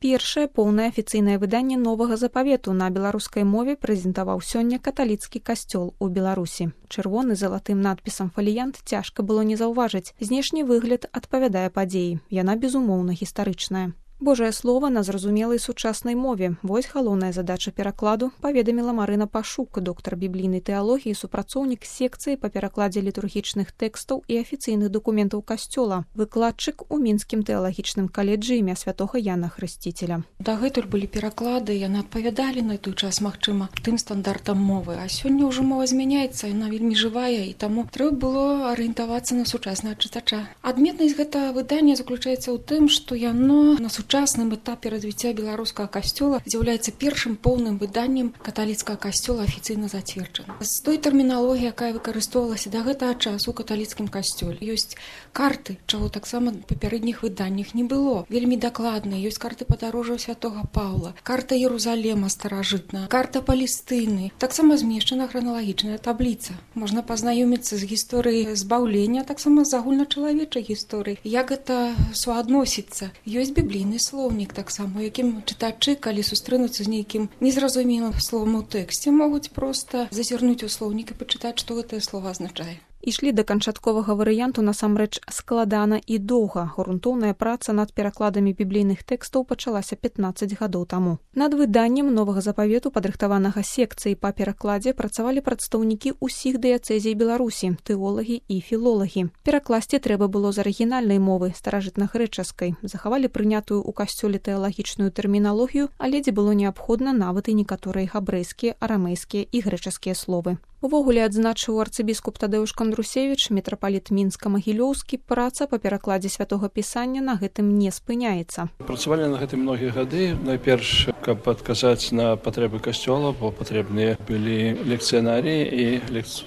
Першае поўнае афіцыйнае выданне новага запавету на беларускай мове прэзентаваў сёння каталіцкі касцёл у Беларусі. Чырвоны залатым надпісам фаліянт цяжка было не заўважыць. Знешні выгляд адпавядае падзеі. Яна, безумоўна, гістарычная. Божае слова на зразумелай сучаснай мове. Вось галоўная задача перакладу, паведаміла Марына Пашук, доктар біблійнай тэалогіі, супрацоўнік секцыі па перакладзе літургічных тэкстаў і афіцыйных дакументаў касцёла, выкладчык у мінскім тэалагічным каледжы імя святога Яна Хрысціцеля. Дагэтуль былі пераклады, яны адпавядалі на той час, магчыма, тым стандартам мовы. А сёння ўжо мова змяняецца, яна вельмі жывая, і таму трэба было арыентавацца на сучаснага чытача. Адметнасць гэтага выдання заключаецца ў тым, што яно на сучасным этапе развіцця беларускага касцёла з'яўляецца першым поўным выданнем каталіцкага касцёла афіцыйна зацверджана. З той тэрміналогіі, якая выкарыстоўвалася да гэтага часу ў каталіцкім касцёле, ёсць карты, чаго таксама ў папярэдніх выданнях не было. Вельмі дакладныя, ёсць карты падарожжаў святога Паўла, карта Ерусалема старажытная, карта Палестыны. Таксама змешчана храналагічная табліца. Можна пазнаёміцца з гісторыяй збаўлення, таксама з агульначалавечай гісторыяй. Як гэта суадносіцца? Ёсць біблійны слоўнік таксама, у якім чытачы, калі сустрэнуцца з нейкім незразумелым словам у тэксце, могуць проста зазірнуць у слоўнік і пачытаць, што гэтае слова азначае. Ішлі да канчатковага варыянту насамрэч складана і доўга. Грунтоўная праца над перакладамі біблійных тэкстаў пачалася 15 гадоў таму. Над выданнем новага запавету, падрыхтаванага секцыі па перакладзе, працавалі прадстаўнікі ўсіх дыяцэзій Беларусі, тэолагі і філолагі. Перакласці трэба было з арыгінальнай мовы, старажытнагрэчаскай. Захавалі прынятую ў касцёле тэалагічную тэрміналогію, але дзе было неабходна нават і некаторыя габрэйскія, арамейскія і грэчаскія словы. Увогуле, адзначыў арцыбіскуп Тадэуш Кандрусевіч, мітрапаліт Мінска-Магілёўскі, праца па перакладзе святога пісання на гэтым не спыняецца. Працавалі на гэтым многія гады. Найперш, каб адказаць на патрэбы касцёла, бо патрэбныя былі лекцыянарыі, і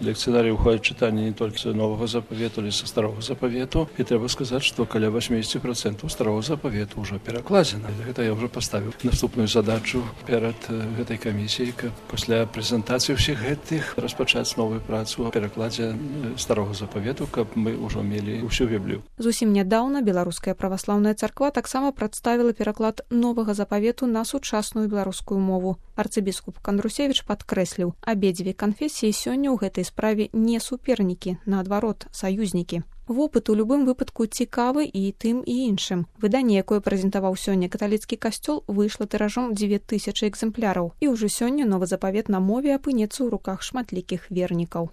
лекцыянарыі ўходзяць чытанне не толькі новага запавету, але са старога запавету. І трэба сказаць, што каля 80% старога запавету ўжо перакладзена. Гэта я ўжо паставіў наступную задачу перад гэтай камісіяй, каб пасля прэзентацыі ўсіх гэтых распачаць новую працу о перакладзе старога запавету, каб мы ўжо мелі ўсю Біблію. Зусім нядаўна Беларуская праваслаўная царква таксама прадставіла пераклад новага запавету на сучасную беларускую мову. Арцыбіскуп Кандрусевіч падкрэсліў, абедзве канфесіі сёння ў гэтай справе не супернікі, наадварот, саюзнікі. Вопыт у любым выпадку цікавы і тым і іншым. Выданне, якое прэзентаваў сёння каталіцкі касцёл, выйшла тыражом 2000 экземпляраў. І ўжо сёння новы запавет на мове апынецца ў руках шматлікіх вернікаў.